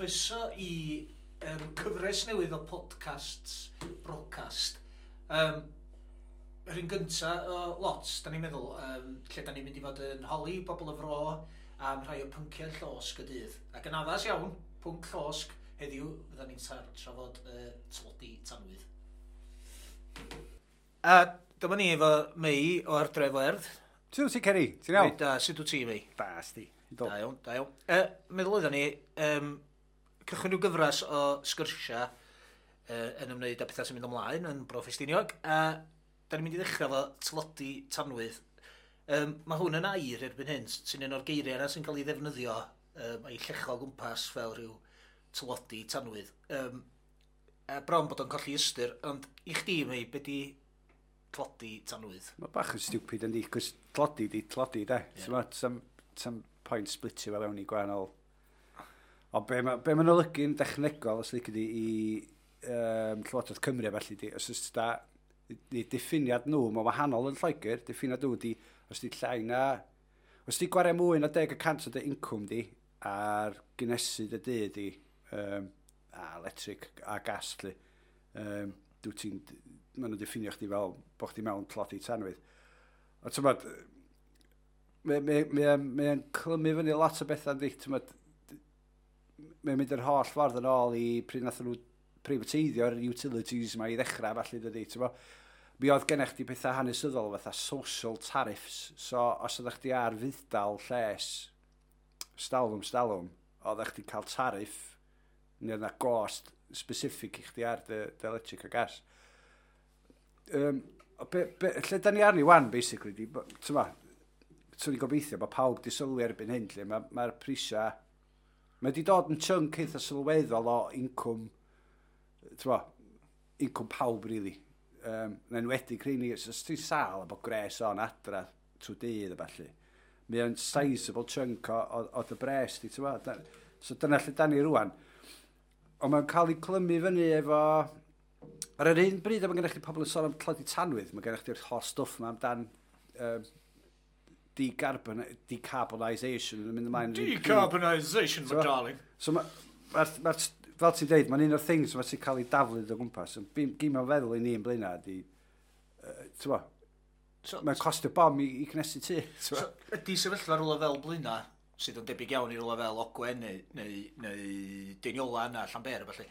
Croeso i cyfres newydd o podcasts Brocast. Yr un gynta o lot, da ni'n meddwl, lle da ni'n mynd i fod yn holi bobl y fro am rhai o pynciau llosg y dydd. Ac yn addas iawn, pwnc llosg heddiw, fydda ni'n trafod tlodi tanwydd. A dyma ni efo Mei o'r Dref Werdd. Sut wyt ti, Ceri? Ti'n iawn? Da, sut wyt ti, Mei? Da, sti. Do. Da iawn, da iawn. Meddwl oedden ni, cychwyn rhyw gyfres o sgyrsiau yn ymwneud â pethau sy'n mynd ymlaen yn Bro Ffestiniog, a da ni'n mynd i ddechrau efo tlodi tanwydd. Mae hwn yn air erbyn hyn, sy'n un o'r geiriau yna sy'n cael ei ddefnyddio a'i llecho o gwmpas fel rhyw tlodi tanwydd. A bron bod o'n colli ystyr, ond i chdi, Mei, be di tlodi tanwydd? Mae bach yn stupid yndi, cos tlodi di tlodi, de. Yeah. So, mae some point splitio fe fewn i gwahanol. Ond be mae'n olygu'n dechnegol, os lici di, i Llywodraeth Cymru a felly, di, os oes da, di diffiniad nhw, mae'n wahanol yn Lloegr, diffiniad nhw di, os di llai na, os di gwario mwy na 10% o dy incwm di, ar gynesu dy dŷ di, a electric a gas, lly, dwi ti'n, maen nhw'n diffinio chdi fel bod chdi mewn tlodi tanwydd. Ond ti'n bod, mae'n clymu fyny lot o bethau, yndi, ti'n bod, mae'n mynd yr holl ffordd yn ôl i pryd nath nhw privateiddio'r utilities yma i ddechrau, falle, dydy, ti'n bo. Mi oedd gennych chdi pethau hanesyddol fatha social tariffs, so os oeddech chdi ar fudd-dal lles, stalwm, oeddech chdi cael tariff, neu oedd 'na gost specific i chdi ar dy electric a gas. Lle da ni arni wan, basically, di, ti'n bo, swn i'n gobeithio bod pawb di sylwi erbyn hyn, lle mae'r prisiau, mae di dod yn chunk eitha sylweddol o incwm, ti'n bo, incwm pawb, really. Yn enwedig rheini, os ti'n sâl a bod gres on adra trwy dydd a ballu, mae o'n sizable chunk o dy bres di, ti'n bo. So dyna lle da ni rwan. Ond mae'n cael ei clymu fyny efo... Ar yr un bryd, mae gennych chi pobl yn sôn am tlodi tanwydd, mae gennych chi'r holl stwff yma amdan decarbonisation yn mynd ymlaen. Decarbonisation, my darling. So, fel ti'n deud, mae'n un o'r things mae ti'n cael ei daflu o gwmpas. Gym o'n feddwl i ni yn Blaenau ydi, ti'n bo, mae'n costio bom i cnesu tŷ. So, ydy sefyllfa rhywle fel Blaenau, sydd yn debyg iawn i rhywle fel Ogwen neu Deiniola na Llanber, felly.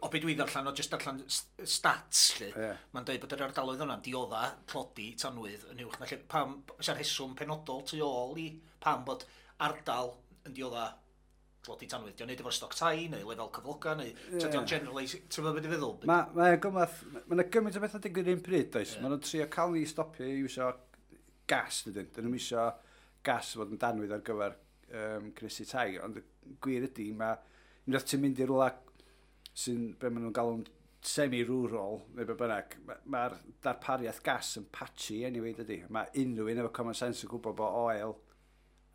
O be dwi ddarllen, o jyst darllen stats, lle, yeah. Mae'n dweud bod yr ardaloedd yna'n diodda tlodi tanwydd yn uwch na lle. Pam, oes rheswm penodol tu ôl i pam bod ardal yn diodda tlodi tanwydd? Dio'n neud efo'r stoc tai, neu lefel cyfloga, neu yeah. Dio'n generalise, ti'n meddwl beth i feddwl? Mae yna gymaint o bethau digwydd un pryd, does? Yeah. Mae nhw'n trio cael ni stopio i iwsio gas, dydyn. Dyn nhw'n isio gas fod yn danwydd ar gyfer cnesu tai, ond y gwir ydy, mae unwaith ti'n mynd i rwla sy'n, be maen nhw'n galw'n semi-rural, neu be bynnag, mae'r darpariaeth gas yn patchy anyway, dydy. Mae unrhyw un efo common sense yn gwybod bod oil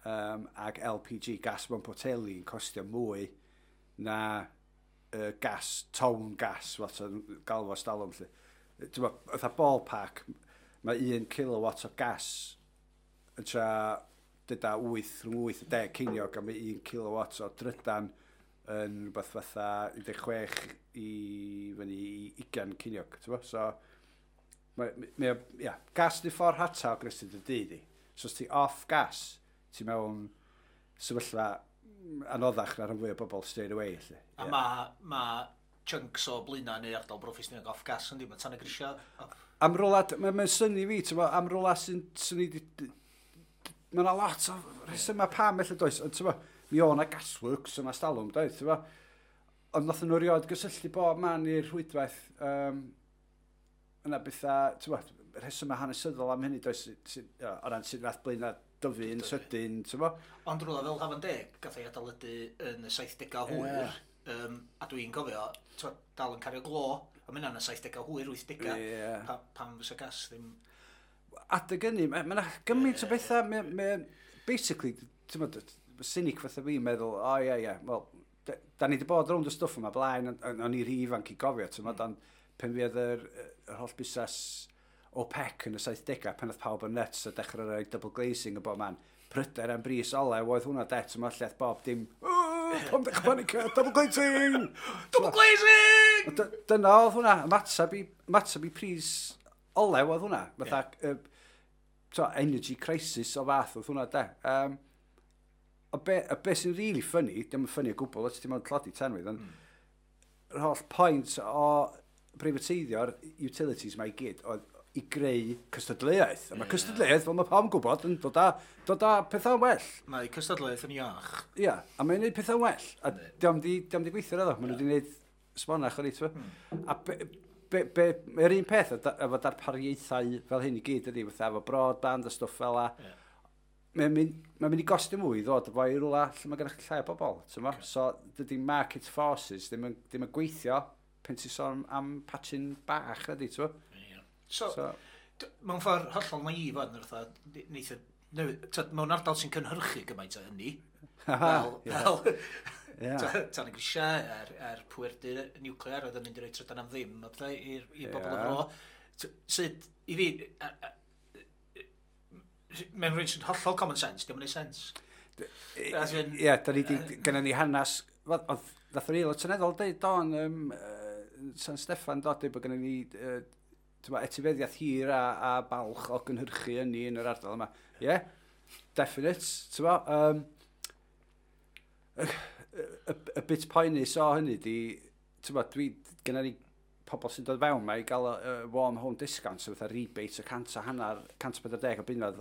ag LPG, gas mewn poteli, yn costio mwy na gas, town gas, fath o'n galw fo stalwm, lle. Ti'n bod, fatha ballpark, mae 1 kilowatt o gas yn tra dyda 8, rhwng 8 a 10 ceiniog, a mae 1 kilowatt o drydan yn rhywbeth fatha 16 i fyny i 20 ceiniog, ti'n bo? So, yeah, gas di ffordd rhata o gnesu dy dŷ di. So, os ti off gas, ti mewn sefyllfa anoddach na rhan fwy o bobl straight away, lle. A yeah. Mae chunks o Blaenau neu ardal Bro Ffestiniog off gas yndi, mae tan y grisiau. Am rwla, mae'n synnu fi, ti'n bo, am rwla sy'n synnu, mae yna lot o rhesymau pam felly does, ond ti'n bo, mi o' 'na gasworks yma stalwm, doedd, ti'n bo. Ond nath nhw rioed gysylltu bob man i'r rhwydwaith, yna bethau, ti'n bo, rhesymau hanesyddol am hynny, does, o ran sut nath Blaenau dyfu yn sydyn, ti'n bo. Ond rwla fel Hafan Deg, gath ei adeiladu yn y 70au hwyr, a dwi'n cofio, ti'n bo, dal yn cario glo, a mynd yn y 70au hwyr, 80au, yeah. Pam fysa gas ddim... Adeg hynny, mae yna gymaint o bethau, basically, ti'n bo, cynic fatha fi'n meddwl, o ie, ie, wel, da ni wedi bod rownd y stwff yma blaen, o'n i rhy ifanc i gofio, ti'n bod, ond pen fydd yr holl busnes OPEC yn y 70au, pan oedd pawb yn nuts a dechrau rhoi double glazing y bob man, pryder am bris olew oedd hwnna, de, ti'n bod, lle bob dim, Pam ddech panicio, double glazing! Double glazing! Dyna oedd hwnna, ymateb i pris olew oedd hwnna. Fatha, yeah. So, energy crisis o fath oedd hwnna, de. A be sy'n really funny, dim yn funny o gwbl, os ti'n mewn tlodi tanwydd, ond yr holl point o preifateiddio'r utilities mae i gyd oedd i greu cystadleuaeth. A mae cystadleuaeth, fel mae pawb yn gwybod, yn dod â pethau'n well. Mae cystadleuaeth yn iach. Ia, a mae'n gwneud pethau'n well. A diom di gweithio iddo. Maen nhw wedi gwneud sbonach o'r eitha. A be, mae'r un peth efo darpariaethau fel hyn i gyd ydy, fatha efo broadband a stwff fel la. Mae'n mynd i gostio mwy i ddod efo i rwla lle mae gennych chi llai o bobl. Ti'n okay. So, dydy market forces ddim yn gweithio pen ti'n sôn am patchyn bach ydy, ti'n Yeah. So, so, mewn ffordd hollol naif o'n fatha, neith mewn ardal sy'n cynhyrchu gymaint o ynni, fel tan y grisiau, a'r pwerdy niwclear oedd yn mynd i roi trydan am ddim, a pethau i'r bobl y fro. Sut, i fi, mae'n rhywun sy'n hollol common sense, diolch yn neud sense. As in, Ie, da ni di, gynna ni hanes, wel, oedd, nath yr aelod seneddol deud don, San Steffan dod, deud bod gynna ni t'mo, etifeddiaeth hir a balch o gynhyrchu ynni yn yr ardal yma. Ie, yeah, definite, t'mo, y bit poenus o hynny di, t'mo, dwi, gynna ni pobl sy'n dod fewn ma i gael warm home discount, so fatha rebate o 150, 140 o bunnoedd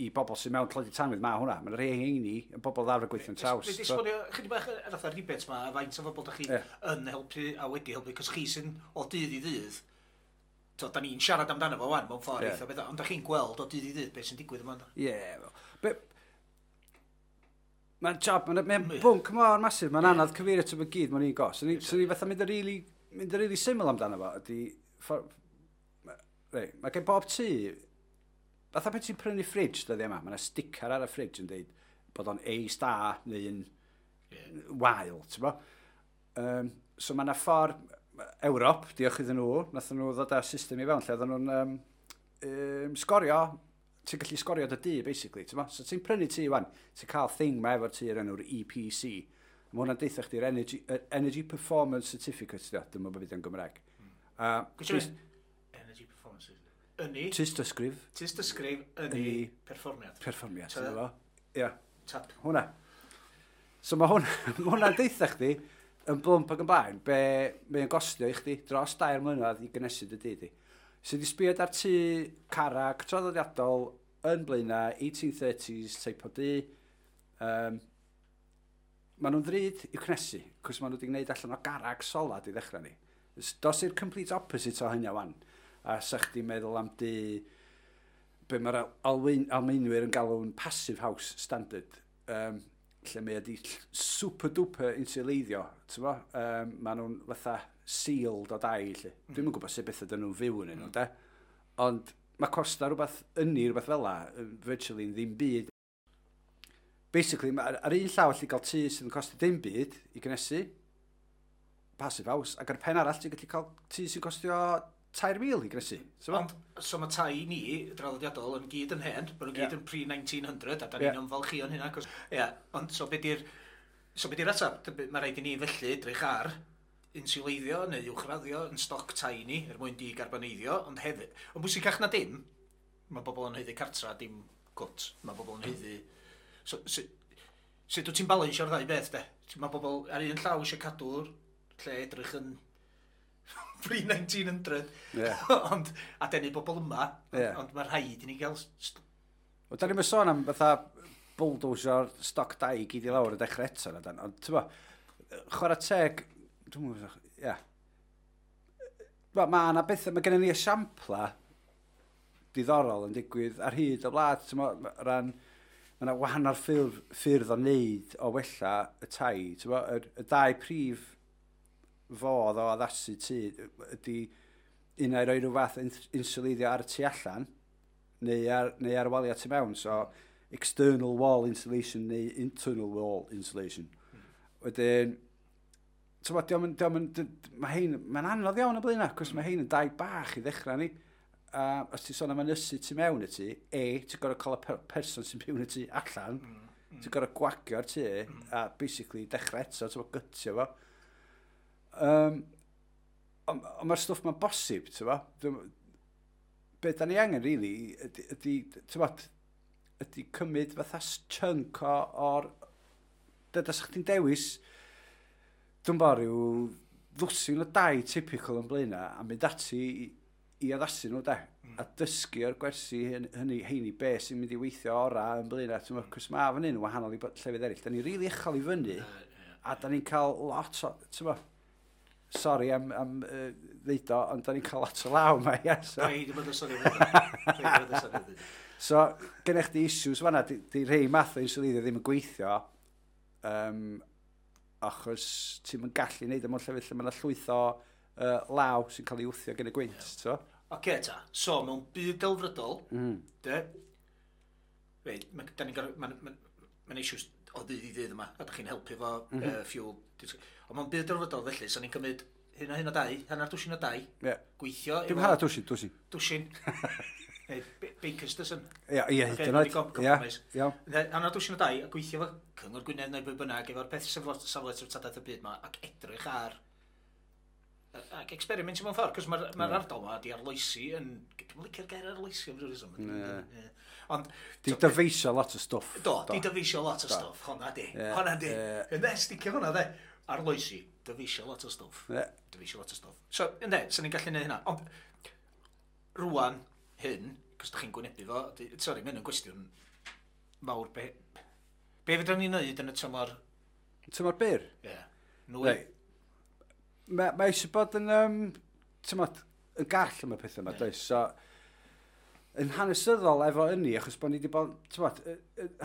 i bobl sy'n mewn tlodi tanwydd, ma hwnna. Mae'n rhai heini yn bobl ddawr gweithio'n traws. Wedi esbonio chydig bach yr fatha rebate ma, a faint o bobl da chi yn helpu a wedi helpu, cos chi sy'n o dydd i ddydd, to, da ni'n siarad amdano fo wan mewn ffordd eitha beth, ond da chi'n gweld o dydd i ddydd beth sy'n digwydd yma. Ie, yeah, mae'n job, mae'n bwnc mor massive, mae'n anodd cyfeirio at y gyd mewn un go. So ni fatha mynd yn really syml amdano fo, ydy, reit, mae gen bob tŷ, fatha pan ti'n prynu fridge dyddiau yma, mae yna sticker ar y fridge yn dweud bod o'n A star neu'n wael, ti'n bo? So mae yna ffordd, Ewrop, diolch iddyn nhw, nath nhw ddod â system i fewn lle oedden nhw'n sgorio, ti'n gallu sgorio dy dŷ, basically, ti'n bo? So ti'n prynu tŷ wan, ti'n cael thing ma efo'r tŷ o'r enw'r EPC. Mae hwnna'n deutha chdi'r Energy Performance Certificate, dio, dwi'n meddwl bod yn Gymraeg. Gwrs Energy Performance. Ynni, Tystysgrif, tystysgrif, ynni, Ynni. perfformiad. Perfformiad, ti'n bo? Ie, Tap. Hwnna. So mae hwnna'n deutha chdi, yn blwmp ac yn blaen, be mae'n gostio i chdi dros 3 mlynedd i gynnesu dy dŷ di. So di sbio ar tŷ carag traddodiadol yn Blaenau, 1830s type o dŷ. Maen nhw'n ddrud i'w cnesu, cos maen nhw wedi gwneud allan o garag solad i ddechrau ni. Dos i'r complete opposite o hynny wan. A sa chdi meddwl am dŷ, be mae'r Almaenwyr yn galw'n passive house standard, lle mae wedi super duper insuleiddio, ti'n bo? Maen nhw'n fatha sealed o dai, lle. Dwi'm yn gwybod sut beth ydyn nhw'n fyw yn nhw, de? Ond mae costa rhywbeth ynni, rhywbeth fel la, virtually yn ddim byd. Basically, ar un llaw allu gael tŷ sydd yn costio dim byd i gynnesu, passive house, ac ar y pen arall ti'n gallu cael tŷ sy'n costio 3,000 i gynnesu. So, Ond, so mae tai ni, draddodiadol, yn gyd yn hen, bod nhw'n gyd yn pre-1900, a da ni'n ymfalchio yn hynna. Cos, ie, ond so be di'r ateb? Mae rhaid i ni felly edrych ar insuleiddio neu uwchraddio yn stoc tai ni, er mwyn di-garboneiddio, ond hefyd, ond bwysicach na dim, mae bobl yn haeddu cartra, dim cwt. Mae bobl yn haeddu. So, sut wyt ti'n balansio'r ddau beth, de? Mae bobl ar un llaw eisiau cadw'r lle edrych yn pre-1900, ond, a denu bobl yma, ond mae rhaid i ni gael Wel, da ni'n sôn am fatha bulldozer stoc dai i gyd i lawr y dechrau eto, na dan. Ond, ti'n bo, chwarae teg, dwi'n meddwl, ie. Wel, mae yna bethau, mae gennym ni esiampla diddorol yn digwydd ar hyd y wlad, ti'n bo, ran, mae yna wahanol ffyrdd o wneud o wella y tai, ti'n bo, y dau prif fodd o addasu tŷ ydy un ai roi rhyw fath o insuleiddio ar y tu allan, neu ar waliau tu mewn, so external wall insulation neu internal wall insulation. Wedyn, ti'n bod, dio'm yn, mae hein, mae'n anodd iawn y blaen, cos mae hein yn dai bach i ddechrau ni. A os ti'n sôn am ynysu tu mewn y tŷ, E, ti'n gorfod cael y person sy'n byw yn y tŷ allan. Ti'n gorfod gwagio'r tŷ a basically dechrau eto, ti'n gutio fo. Ond mae'r stwff ma'n bosib, ti'n bo? Be da ni angen, really, ydy, ti'n bo, ydy cymryd fatha chunk o'r... Dyda sa'ch chdi'n dewis, dwi'n bo, rhyw ddwsin o dai typical yn Blaenau a mynd ati i addasu nhw, de. A dysgu o'r gwersi hynny, heini be sy'n mynd i weithio ora yn Blaenau. Ti'n gwybod, cos mae fan hyn yn wahanol i llefydd eraill. Da ni'n rili uchel i fyny, a da ni'n cael lot o, ti'n gwybod, sori am ddeud o, ond da ni'n cael lot o law yma, ie. So, Paid i bod yn sori. Paid i bod yn sori. So gennych chdi issues fanna, di rhei math o insuleiddio ddim yn gweithio, achos ti'n yn gallu neud o mewn llefydd lle mae yna llwyth o law sy'n cael ei wthio gen y gwynt, yeah. Oce, ta. So, mewn byd delfrydol, de, reit, da ni'n gorfod, mae'n ma issues o ddydd i ddydd yma, a da chi'n helpu fo fuel. Ond mewn byd delfrydol felly, so ni'n cymryd hyn a hyn o dai, hanner dwsin o dai, gweithio. Dim hanner dwsin, dwsin. Dwsin. Neu baker's dozen. Ie, hyd yn oed. Ie, compromise. Iawn. Hanner dwsin o dai, a gweithio efo Cyngor Gwynedd neu bwy bynnag, efo'r peth safle treftadaeth y byd yma, ac edrych ar ac experimentio mewn ffordd, cos mae'r ma ardal yma di arloesi yn... Dwi'n licio'r gair arloesi am ryw reswm. Ie. Ond Di dyfeisio lot o stwff. Do, di dyfeisio lot o stwff, honna di. Honna di. Ynde, sticio honna de. Arloesi, dyfeisio lot o stwff. Dyfeisio lot o stwff. So, ynde, so ni'n gallu neud hynna. Ond, rwan, hyn, cos da chi'n gwynebu fo, sori, mae hyn yn gwestiwn mawr. Be fedrwn ni wneud yn y tymor, Tymor byr? Ie, nwy? Reit. Mae eisiau bod yn, tymod, yn gall am y pethau yma, does? So, yn hanesyddol efo ynni, achos bod ni wedi bod, tymod,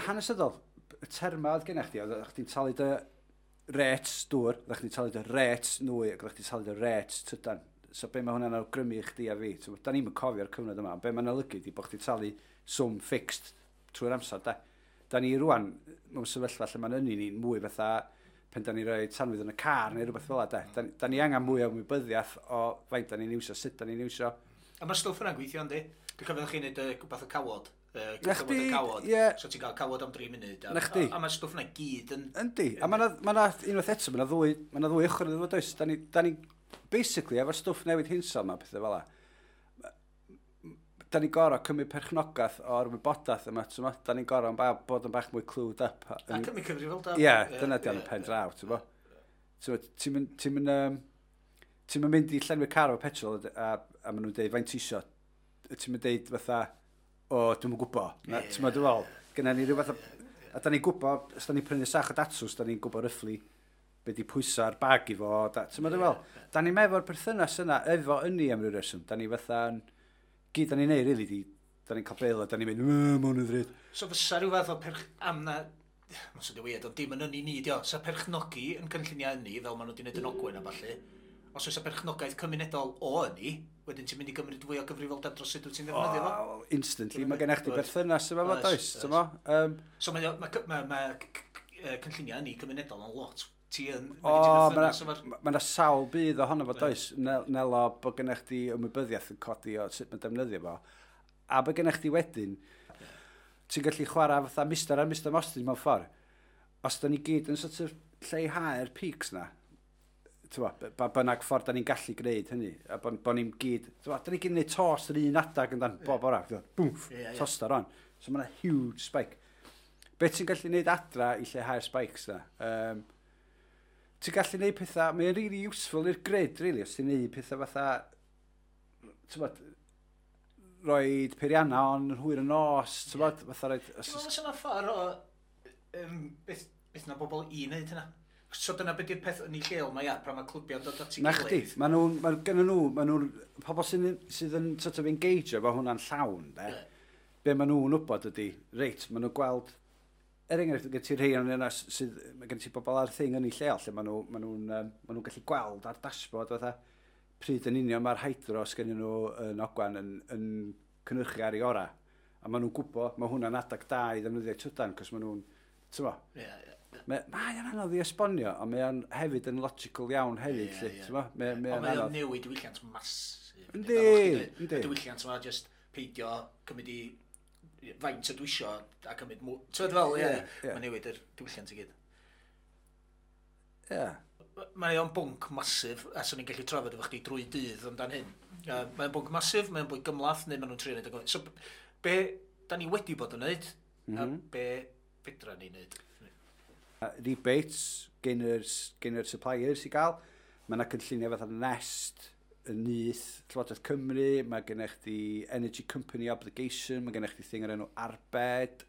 hanesyddol, y terma oedd gennych chdi, oedd chdi'n talu dy rêts dŵr, oedd chdi'n talu dy rêts nwy, ac oedd chdi'n talu dy rêts trydan. So be mae hwnna'n awgrymu i chdi a fi, tymod, da ni'n cofio'r cyfnod yma, ond be mae'n olygu di bod chdi'n talu swm fixed trwy'r amser, da. Da ni rwan, mewn sefyllfa lle mae'n ynni ni'n mwy fatha pen da ni rhoi tanwydd yn y car neu rhywbeth fel 'na, de. Da ni angen mwy o ymwybyddiaeth o faint da ni'n iwsio, sut da ni'n iwsio. A mae'r stwff yna'n gweithio, yndi? Dwi'n cofio chi'n neud rhywbeth o cawod. Na Cyfnod chdi, y cawod. ie. So ti'n cael cawod am 3 munud. Na chdi. A mae'r stwff yna gyd yn... Yndi, a mae ma na, unwaith eto, ma ddwy ochr iddo fo, does? Da ni, basically, efo'r stwff newid hinsawdd ma, pethau fel 'a, da ni gorau cymryd perchnogaeth o'r wybodaeth yma, ti'n mo? Da ni'n gorau bod yn bach mwy clued up. A cymryd cyfrifoldeb. Ie, dyna di yn y pen draw, ti'n mo? Ti'n mo, ti'n mynd i llenwi car efo petrol a maen nhw'n deud, faint ti isio? Ti'n mynd deud fatha, o, dwi'm yn gwybod. Na, ti'n mo, dwi'n fel, gynna ni rhyw fath o... A da ni'n gwybod, os da ni'n prynu sach o datws, da ni'n gwybod roughly be di pwysa'r bag i fo. Da, ti'n mo, dwi'n fel, da ni'n efo'r perthynas yna, efo ynni am ryw reswm. Da ni fatha, gyd da ni'n neud, really, di, da ni'n cael bil a da ni'n mynd, ma hwn yn ddrud." So fysa rhyw fath o perch... Am na... Mae'n swnio weird, ond dim yn ynni ni, dio. Sa perchnogi yn cynlluniau ynni, fel maen nhw wedi gwneud yn Ogwen a ballu, os oes y perchnogaeth cymunedol o ynni, wedyn ti'n mynd i gymryd fwy o gyfrifoldeb dros sut wyt ti'n ddefnyddio fo. Oh, instantly, mae gennych chdi berthynas efo fo, Oes, does? oes. Ti'n mo? So mae cynlluniau ynni cymunedol yn lot. Ti yn... O, mae gen ti mae berthynas efo'r- ma sawl budd ohono fo, does? Nelo bod gennych chdi ymwybyddiaeth yn codi o sut mae'n defnyddio fo. A bod gennych chdi wedyn, ti'n gallu chwarae fatha Mr a Mr Mostyn mewn ffordd. Os da ni gyd yn sort of lleihau'r peaks na, ti'n bo, ba bynnag ffordd da ni'n gallu gwneud hynny, a bo ni'n gyd, ti'n bo, da ni gyd yn gwneud tost yr un adag yn dan, bob ora, bwmff, Ie, ie. toster on. So mae yna huge spike. Be ti'n gallu gwneud adra i lleihau'r spikes na? Ti'n gallu gwneud pethau, mae'n really useful i'r grid, really, os ti'n gwneud pethau fatha, ti'n bod, roed peirianna on yn hwyr y nos, ti'n bod, fatha roed... Ti'n meddwl fysa 'na ffordd o... Beth na bobl i wneud hynna? So dyna beth yw'r peth yn ei lleol mae ia, pan mae clwbiau'n dod at ei Na chdi, gilydd. ma gynnon nhw, ma nhw'n, pobl sydd yn sort of engage efo hwnna'n llawn, de, be maen nhw'n wybod ydy, reit, maen nhw'n gweld, er enghraifft, gen ti rhai o'n yna sydd, mae gen ti bobl ar thing yn ei lleol, lle maen nhw'n gallu gweld ar dashboard fatha, pryd yn union mae'r hydro sgennyn nhw yn Ogwen yn cynhyrchu ar ei ora. A maen nhw'n gwybod, mae hwnna'n adag da i ddefnyddio trydan, cos maen nhw'n, ti'n bo, Ie, ie. Mae o'n anodd i esbonio, ond mae o'n hefyd yn logical iawn hefyd, lly, ti'n bo? Mae Ond o'n mae o'n anodd. newid diwylliant masif. Yndi, yndi. Y diwylliant yma, just peidio cymryd i Faint ydw isio a cymryd mwy. Ti'n fel, ie, Ie. mae'n newid yr diwylliant i gyd. Ie. Mae o'n bwnc massive, a swn i'n gallu trafod efo chdi drwy dydd amdan hyn. Mae'n bwnc massive, mae'n bwnc gymhleth, neu maen nhw'n trio neud o. So, be da ni wedi bod yn neud, a be fedra ni neud? Rebates gen yr suppliers i gael. Mae yna cynlluniau fatha Nest, y Nyth, Llywodraeth Cymru, mae gennych chdi Energy Company Obligation, mae gennych chdi thing o'r enw Arbed.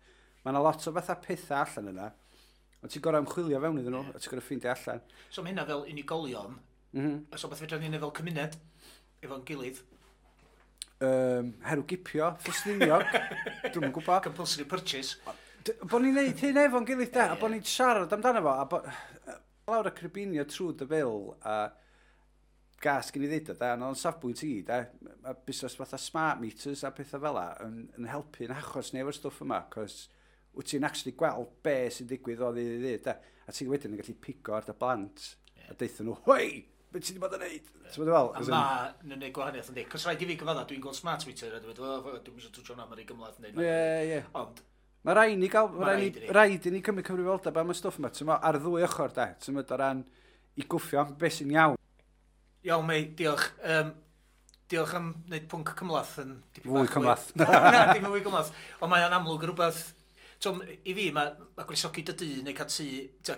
Mae yna lot o fatha pethau allan yna. Ond ti'n gorau ymchwilio fewn iddyn nhw, a ti'n gorau ffeindio allan. So mae hynna fel unigolion, so beth fedra ni neud fel cymuned, efo'n gilydd? Herwgipio, Ffestiniog, dwi'm yn gwybod. Compulsory purchase. Bo ni'n neud hyn efo'n gilydd de, a bo ni'n siarad amdano fo, a bo lawr y cribinio trwy dy fil, a gas gen i ddeud o, da, ond o'n safbwynt i, da, mae busnes fatha smart meters a pethau fel 'a yn helpu yn achos ni efo'r stwff yma, cos wyt ti'n actually gweld be sy'n digwydd o ddydd i ddydd, da, a ti'n wedyn yn gallu pigo ar dy blant, a deutha nhw, "Hoi, beth ti wedi bod yn neud?" Ti'n bod fel? A ma nhw'n neud gwahaniaeth yn di. Cos rhaid i fi gyfadda, dwi'n gweld smart meter a dwi'n meddwl, "Oh, dwi'n eisiau twtio hwnna, mae'n rhy gymhleth." Neu, Ie. Ond, Mae rhaid ni gael, Ma' mae rhaid raid ni, i ni. Rhaid i ni cymryd cyfrifoldeb am y stwff yma, ti'n mo, ar ddwy ochr, da, ti'n mo, o ran i gwffio am beth sy'n iawn. Iawn, Mei, diolch. Diolch am wneud pwnc cymhleth yn dipyn Fwy bach cymhleth. Na, dim yn fwy cymhleth. Ond mae o'n amlwg rhywbeth. So, i fi, mae gwresogi dy dŷ neu cael tŷ.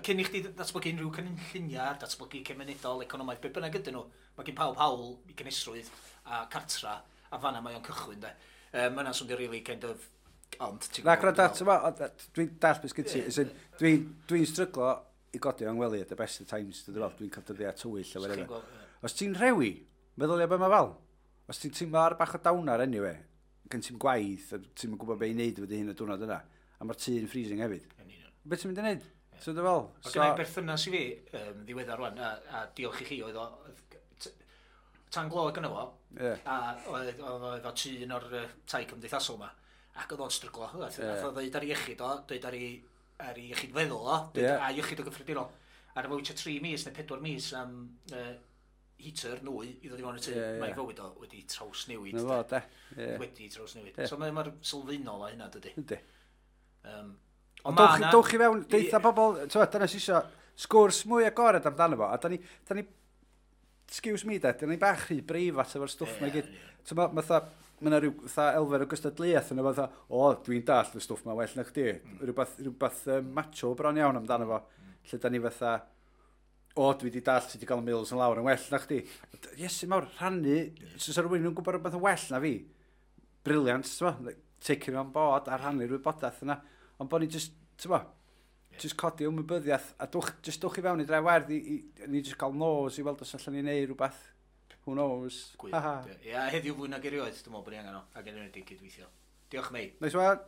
Cyn i chdi datblygu unrhyw cynlluniau, datblygu cymunedol, economaidd, be bynnag ydyn nhw, mae gen pawb hawl i gynesrwydd a cartra, a fanna mae o'n cychwyn, de. Mae yna'n swnio really kind of. Ond, ti'n Na, gwbod gwrando, beth ti'n mo, ond, dwi'n dall beth sgyn ti. As in, dwi'n stryglo i godi o'n ngwely at the best of times, dwi'n fel, dwi'n cael dyddiau tywyll a dwi'n whatever. feddwl. Chi'n gweld, ie. Os ti'n rhewi, meddylia be mae fel. Os ti'n teimlo ar bach o downer anyway, gen ti'n gwaith, a ti'n gwybod be i wneud efo dy hun y diwrnod yna, a mae'r tŷ'n freezing hefyd. Yn union. Be ti'n mynd i wneud? Ti'n dod fel? So, gen i berthynas i fi ddiweddar rwan, a diolch i chi, oedd o, tan glo gynno fo, a oedd o efo tŷ un o'r tai cymdeithasol ma, ac oedd o'n stryglo. Nath o ddeud ar ei iechyd o, dweud ar ei iechyd feddwl o, dweud a iechyd o gyffredinol. Ar efo wytio 3 mis neu 4 mis am heater nwy i ddod i fewn y tŷ, Ie, ie. mae fywyd o wedi trawsnewid. Na fo, de. Ie. Wedi trawsnewid. So mae mor sylfaenol a hynna, dydy. Yndi. Ond Ond ma' 'na- dowch i fewn, deitha bobl, ti'n dyna sy'n isio sgwrs mwy agored amdano fo, a da ni, excuse me de, da ni bach rhy breifat efo'r stwff 'ma i gyd. Ti'n mo, fatha, mae yna rhyw fatha elfen o gystadleuaeth yna fatha, "O, dwi'n dall y stwff 'ma well na chdi." Rhywbeth macho bron iawn amdano fo, lle da ni fatha, "O, dwi wedi dall sut i gael y mils yn lawr yn well na chdi." Iesu mawr, rhannu, so sa rhywun yn gwybod rhywbeth yn well na fi, brilliant, ti'n mo, take it on board a rhannu'r wybodaeth yna. Ond bod ni just, ti'n mo, just codi ymwybyddiaeth a just dwch i fewn i Dre Werdd i ni just cael nos i weld os allan ni neud rhywbeth. Who knows? Gwych. Ha ha. Ie, a heddiw fwy nag erioed, dwi'n meddwl bod ni angen o, ac yn enwedig cydweithio. Diolch, Mei. Nice one.